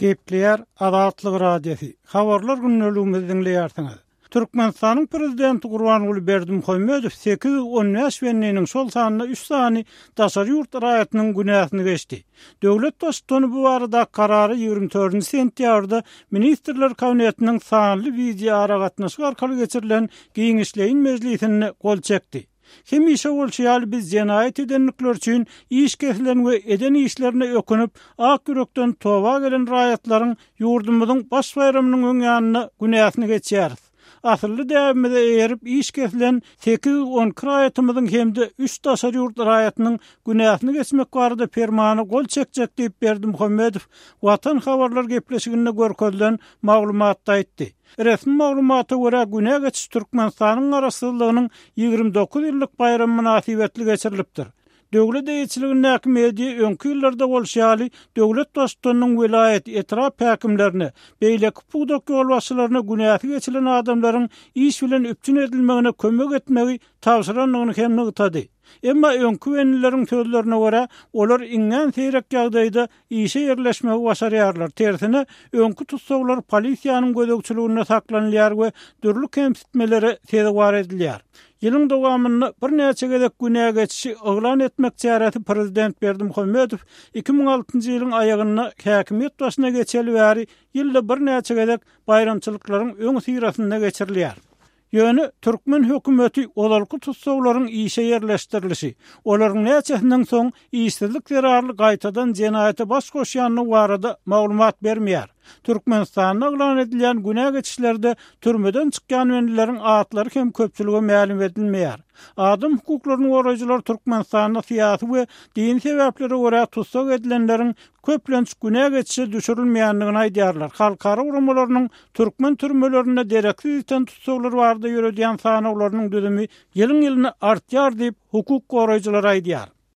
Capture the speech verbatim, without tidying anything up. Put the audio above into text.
Gepleýär Azatlyk Radiosy. Habarlar gündeligimizi diňleýärsiňiz. Türkmenistanyň Prezidenti Gurbanguly Berdimuhamedow sekiz ýüz on bäş bendiniň, şol sanda üç sany daşary ýurt raýatynyň günäsini geçdi. Döwlet Baştutany bu barada karary ýigrimi dördünji sentýabrda Ministrler Kabinetiniň sanly wideoaragatnaşyk arkaly geçirilen giňişleýin mejlisinde gol çekdi. Hemişe bolşy ýaly biz jenaýat edenlikleri üçin iş kesilen we eden işlerine ökünip, ak ýürekden toba gelen raýatlaryň ýurdumyzyň baş baýramynyň öň ýanynda günäsini geçýäris. Asylly däbimize eýerip iş kesilen sekiz ýüz on iki raýatymyzyň hem-de üç daşary ýurt raýatynyň günäsini geçmek barada permana gol çekjek diýip Berdimuhamedow Watan habarlar gepleşiginde görkezilen maglumatda aýtdy. Resmi maglumata görä günä geçiş Türkmenistanyň garaşsyzlygynyň ýigrimi dokuz ýyllyk baýramy mynasybetli geçirilipdir. Döwlet eýeçiligindäki media öňki ýyllarda bolşy ýaly döwlet baştutanynyň welaýat, etrap häkimlerine, beýleki pudak ýolbaşçylaryna günäsi geçilen adamlaryň iş bilen üpjün edilmegine kömek etmegi tabşyrandygyny hem nygtady. Emma öňki benlileriň sözlerine görä, olar iňňän seýrek ýagdaýda işe ýerleşmegi başarýarlar. Tersine, öňki tussaglar polisiýanyň gözegçiliginde saklanylýar we dürli kemsitmelere sezewar edilýär. Ýylyň dowamynda birnäçe gezek günä geçişi yglan etmek çäresi Prezident Berdimuhamedow iki müň altynjy ýylyň aýagynda häkimiýet başyna geçeli bäri ýylda birnäçe gezek baýramçylyklaryň öň syrasynda geçirilýär. Ýöne türkmen hökümeti ozalky tussaglaryň işe ýerleşdirilişi, olaryň näçesinden soň işsizlik zerarly gaýtadan jenaýata baş goşýandygy barada maglumat bermeýär. Türkmenistanda yglan edilýän günä geçişlerde türmeden çykýan benlileriň atlary hem köpçülige mälim edilmeýär. Adam hukuklaryny goraýjylar Türkmenistanda syýasy we dini sebäplere görä tussag edilenleriň köplenç günä geçişe düşürilmeýändigini aýdýarlar. Halkara guramalarynyň türkmen türmelerinde dereksiz ýiten tussaglar barada ýöredýän sanawlarynyň düzümi ýylyň-ýylyna artýar diýip hukuk goraýjylar aýdýar.